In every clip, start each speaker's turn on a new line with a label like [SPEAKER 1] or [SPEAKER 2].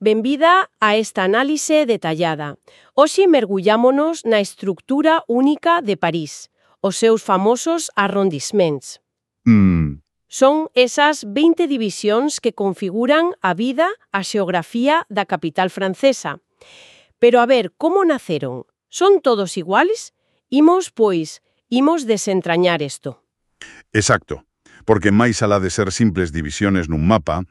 [SPEAKER 1] Benvida a esta análise detallada. Hoxe mergullámonos na estructura única de París, os seus famosos arrondissements. Son esas 20 divisións que configuran a vida, a xeografía da capital francesa. Pero a ver, como naceron? Son todos iguales? Imos desentrañar isto.
[SPEAKER 2] Exacto, porque máis alá de ser simples divisiones nun mapa,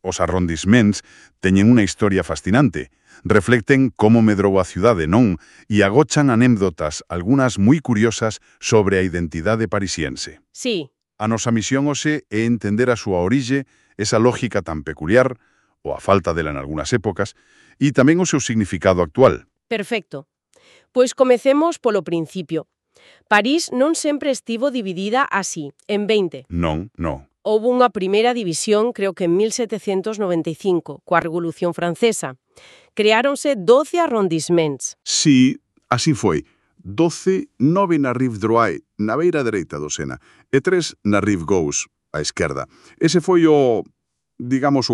[SPEAKER 2] os arrondissements teñen unha historia fascinante. Reflecten como medrou a cidade, non? E agochan anécdotas, algunhas moi curiosas, sobre a identidade parisiense.
[SPEAKER 1] Sí.
[SPEAKER 2] A nosa misión hoxe é entender a súa orixe, esa lógica tan peculiar, ou a falta dela en algunhas épocas, e tamén o seu significado actual.
[SPEAKER 1] Perfecto. Pois comecemos polo principio. París non sempre estivo dividida así, en 20.
[SPEAKER 2] Non.
[SPEAKER 1] Houbo unha primeira división, creo que en 1795, coa Revolución Francesa. Creáronse 12 arrondissements.
[SPEAKER 2] Si, así foi. 12, 9 na Rive Droite, na beira dereita do Sena, e 3 na Rive Gauche, á esquerda. Ese foi o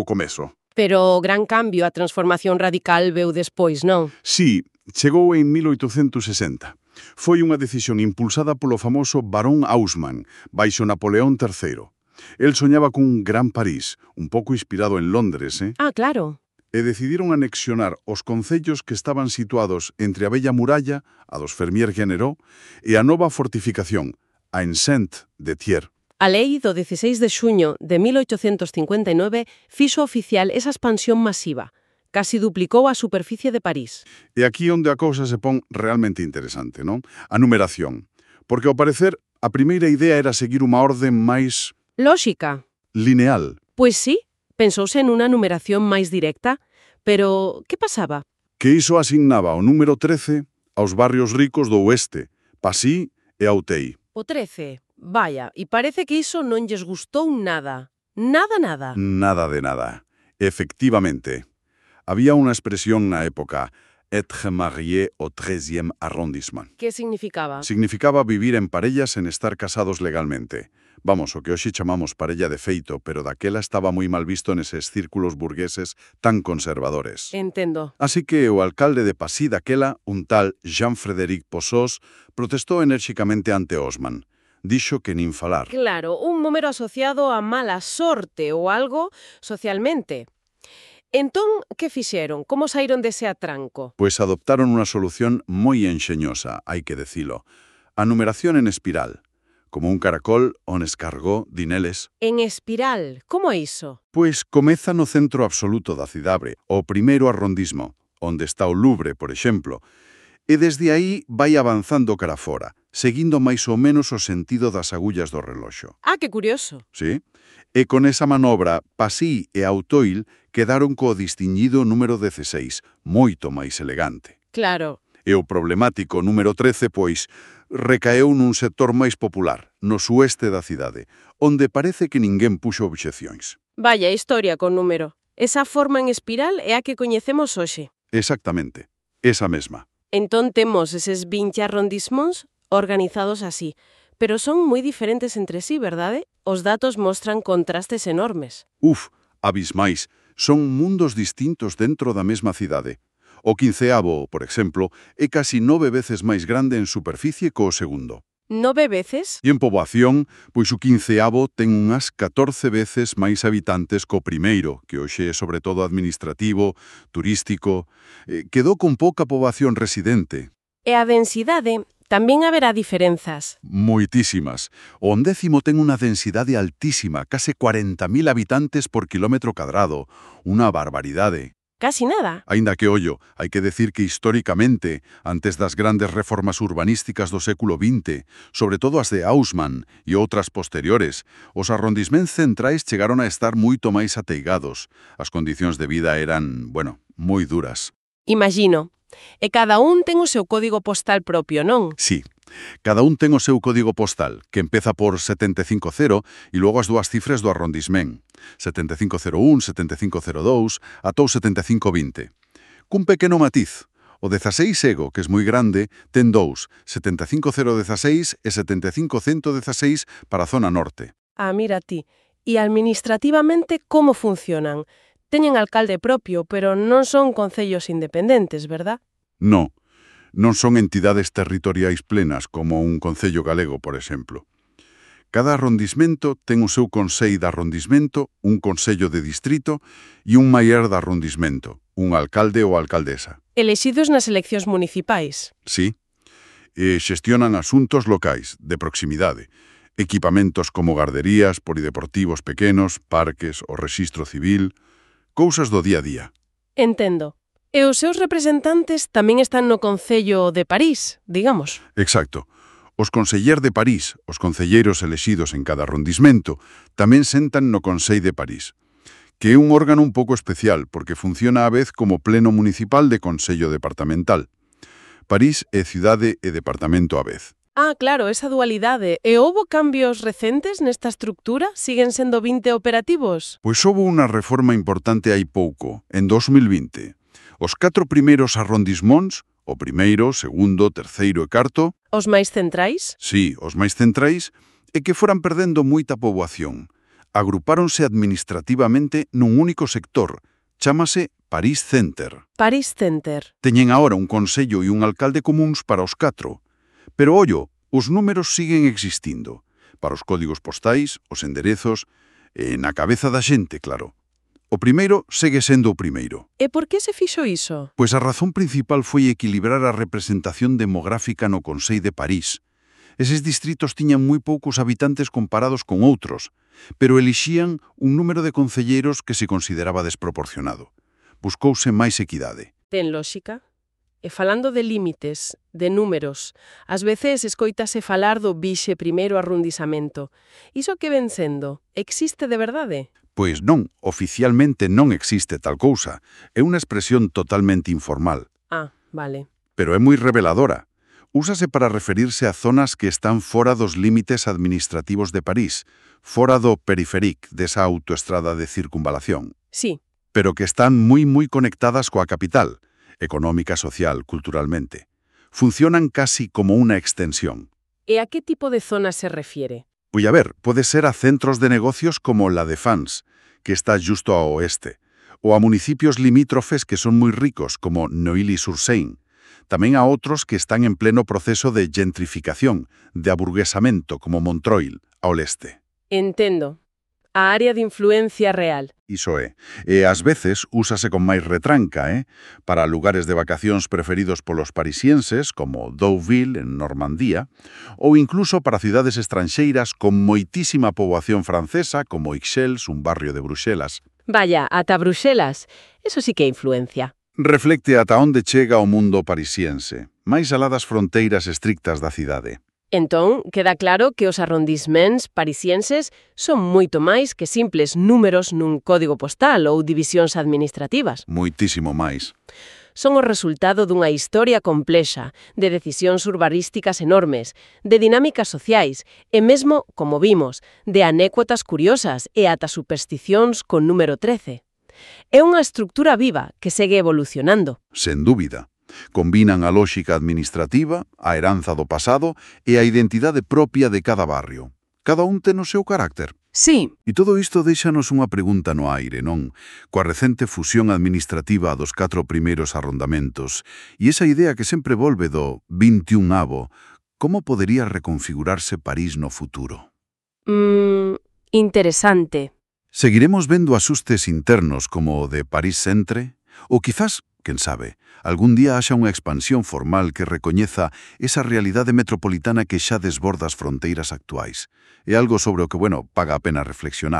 [SPEAKER 2] comezo.
[SPEAKER 1] Pero o gran cambio, a transformación radical, veu despois, non?
[SPEAKER 2] Si, chegou en 1860. Foi unha decisión impulsada polo famoso Barón Haussmann, baixo Napoleón III. El soñaba cun gran París, un pouco inspirado en Londres,
[SPEAKER 1] Ah, claro.
[SPEAKER 2] E decidiron anexionar os concellos que estaban situados entre a Bella Muralla, a dos Fermier-Generaux, e a nova fortificación, a Enceinte de Thiers.
[SPEAKER 1] A lei do 16 de xuño de 1859 fixo oficial esa expansión masiva. Casi duplicou a superficie de París.
[SPEAKER 2] E aquí onde a cousa se pon realmente interesante, non? A numeración. Porque, ao parecer, a primeira idea era seguir unha orde máis
[SPEAKER 1] Lóxica.
[SPEAKER 2] lineal.
[SPEAKER 1] Pois sí, pensouse en unha numeración máis directa, pero que pasaba?
[SPEAKER 2] Que iso asignaba o número 13 aos barrios ricos do oeste, Passy e Auteuil.
[SPEAKER 1] O 13, vaya, e parece que iso non lles gustou nada. Nada.
[SPEAKER 2] Nada de nada. Efectivamente. Había unha expresión na época, être marié au 13e arrondissement.
[SPEAKER 1] Que significaba?
[SPEAKER 2] Significaba vivir en parellas sen estar casados legalmente. Vamos, o que hoxe chamamos parella de feito, pero daquela estaba moi mal visto neses círculos burgueses tan conservadores.
[SPEAKER 1] Entendo.
[SPEAKER 2] Así que o alcalde de Passy daquela, un tal Jean-Frédéric Poços, protestou enérxicamente ante Haussmann. Dixo que nin falar.
[SPEAKER 1] Claro, un número asociado a mala sorte ou algo socialmente. Entón, que fixeron? Como saíron dese atranco?
[SPEAKER 2] Pois adoptaron unha solución moi enxeñosa, hai que decilo. A numeración en espiral, como un caracol on escargó dineles.
[SPEAKER 1] En espiral, como é iso?
[SPEAKER 2] Pois comeza no centro absoluto da cidade, o primeiro arrondismo, onde está o Louvre, por exemplo, e desde aí vai avanzando cara fora, seguindo máis ou menos o sentido das agullas do reloxo.
[SPEAKER 1] Ah, que curioso.
[SPEAKER 2] Sí? E con esa manobra, Passy e Auteuil quedaron co distinguido número 16, moito máis elegante.
[SPEAKER 1] Claro.
[SPEAKER 2] E o problemático número 13, pois, recaeu nun sector máis popular, no sueste da cidade, onde parece que ninguén puxo obxeccións.
[SPEAKER 1] Vaya historia con número. Esa forma en espiral é a que coñecemos hoxe.
[SPEAKER 2] Exactamente, esa mesma.
[SPEAKER 1] Entón temos eses 20 arrondissements organizados así, pero son moi diferentes entre sí, verdade? Os datos mostran contrastes enormes.
[SPEAKER 2] Abismais, son mundos distintos dentro da mesma cidade. O 15º, por exemplo, é casi 9 veces máis grande en superficie co o segundo.
[SPEAKER 1] 9 veces?
[SPEAKER 2] E en poboación, pois o 15º ten unhas 14 veces máis habitantes co primeiro, que hoxe é sobre todo administrativo, turístico, quedou con pouca poboación residente.
[SPEAKER 1] E a densidade tamén haberá diferenzas.
[SPEAKER 2] Moitísimas. O 10º ten unha densidade altísima, case 40.000 habitantes por quilómetro cadrado. Unha barbaridade.
[SPEAKER 1] Casi nada.
[SPEAKER 2] Aínda que, ollo, hai que decir que históricamente, antes das grandes reformas urbanísticas do século XX, sobre todo as de Haussmann e outras posteriores, os arrondissements centrais chegaron a estar moito máis ateigados. As condicións de vida eran, moi duras.
[SPEAKER 1] Imagino. E cada un ten o seu código postal propio, non?
[SPEAKER 2] Sí. Cada un ten o seu código postal, que empeza por 750 e logo as dúas cifras do arrondissement, 7501, 7502, atou 7520. Cun pequeno matiz, o 16 ego, que é moi grande, ten dous, 75016 e 75116 para a zona norte.
[SPEAKER 1] Ah, mira ti. E administrativamente como funcionan? teñen alcalde propio, pero non son concellos independentes, verdad?
[SPEAKER 2] No, non son entidades territoriais plenas como un concello galego, por exemplo. Cada arrondismento ten o seu consello de arrondismento, un consello de distrito e un maior de arrondismento, un alcalde ou alcaldesa.
[SPEAKER 1] Elexidos nas eleccións municipais.
[SPEAKER 2] Sí, e xestionan asuntos locais, de proximidade, equipamentos como garderías, polideportivos pequenos, parques, o rexistro civil, cousas do día a día.
[SPEAKER 1] Entendo. E os seus representantes tamén están no Concello de París, digamos.
[SPEAKER 2] Exacto. Os conseller de París, os concelleiros elexidos en cada arrondismento, tamén sentan no Consello de París, que é un órgano un pouco especial porque funciona á vez como pleno municipal de Consello departamental. París é cidade e departamento á vez.
[SPEAKER 1] Ah, claro, esa dualidade. E houbo cambios recentes nesta estructura? Siguen sendo 20 operativos?
[SPEAKER 2] Pois houve unha reforma importante hai pouco, en 2020. Os 4 primeiros arrondismóns, o primeiro, segundo, terceiro e cuarto,
[SPEAKER 1] Os máis centrais?
[SPEAKER 2] sí, os máis centrais, e que foran perdendo moita poboación. Agrupáronse administrativamente nun único sector, chámase París Center.
[SPEAKER 1] París Center.
[SPEAKER 2] Teñen agora un consello e un alcalde comuns para os 4. Pero, ollo, os números siguen existindo. Para os códigos postais, os enderezos, e na cabeza da xente, claro. O primeiro segue sendo o primeiro.
[SPEAKER 1] E por que se fixo iso?
[SPEAKER 2] Pois a razón principal foi equilibrar a representación demográfica no Consello de París. Eses distritos tiñan moi poucos habitantes comparados con outros, pero elixían un número de concelleiros que se consideraba desproporcionado. Buscouse máis equidade.
[SPEAKER 1] Ten lógica? E falando de límites, de números, ás veces escoítase falar do 21º arrondizamento. Iso que ven sendo? Existe de verdade?
[SPEAKER 2] Pois non, oficialmente non existe tal cousa. É unha expresión totalmente informal.
[SPEAKER 1] Ah, vale.
[SPEAKER 2] Pero é moi reveladora. Úsase para referirse a zonas que están fora dos límites administrativos de París, fora do periféric desa autoestrada de circunvalación,
[SPEAKER 1] Sí.
[SPEAKER 2] pero que están moi conectadas coa capital, económica, social, culturalmente. Funcionan casi como unha extensión.
[SPEAKER 1] E a que tipo de zona se refiere?
[SPEAKER 2] Pois a ver, pode ser a centros de negocios como La Défense, que está justo ao oeste, ou a municipios limítrofes que son moi ricos, como Neuilly-sur-Seine. Tamén a outros que están en pleno proceso de gentrificación, de aburguesamento, como Montreuil, ao leste.
[SPEAKER 1] Entendo. A área de influencia real.
[SPEAKER 2] Iso é. E ás veces úsase con máis retranca, para lugares de vacacións preferidos polos parisienses, como Deauville, en Normandía, ou incluso para cidades estranxeiras con moitísima poboación francesa, como Ixelles, un barrio de Bruxelas.
[SPEAKER 1] Vaya, ata Bruxelas. Eso sí que é influencia.
[SPEAKER 2] Reflecte ata onde chega o mundo parisiense, máis alá das fronteiras estrictas da cidade.
[SPEAKER 1] Entón, queda claro que os arrondisments parisienses son moito máis que simples números nun código postal ou divisións administrativas.
[SPEAKER 2] Moitísimo máis.
[SPEAKER 1] Son o resultado dunha historia complexa, de decisións urbanísticas enormes, de dinámicas sociais e mesmo, como vimos, de anécdotas curiosas e ata supersticións con número 13. É unha estructura viva que segue evolucionando.
[SPEAKER 2] Sen dúbida. Combinan a lóxica administrativa, a heranza do pasado e a identidade propia de cada barrio. Cada un ten o seu carácter.
[SPEAKER 1] Sí.
[SPEAKER 2] E todo isto déixanos unha pregunta no aire, non? Coa recente fusión administrativa dos 4 primeiros arrondamentos e esa idea que sempre volve do 21º, como podería reconfigurarse París no futuro?
[SPEAKER 1] Interesante.
[SPEAKER 2] Seguiremos vendo asustes internos como o de París Centre? Ou quizás, quen sabe, algún día haxa unha expansión formal que recoñeza esa realidade metropolitana que xa desborda as fronteiras actuais. É algo sobre o que, paga a pena reflexionar.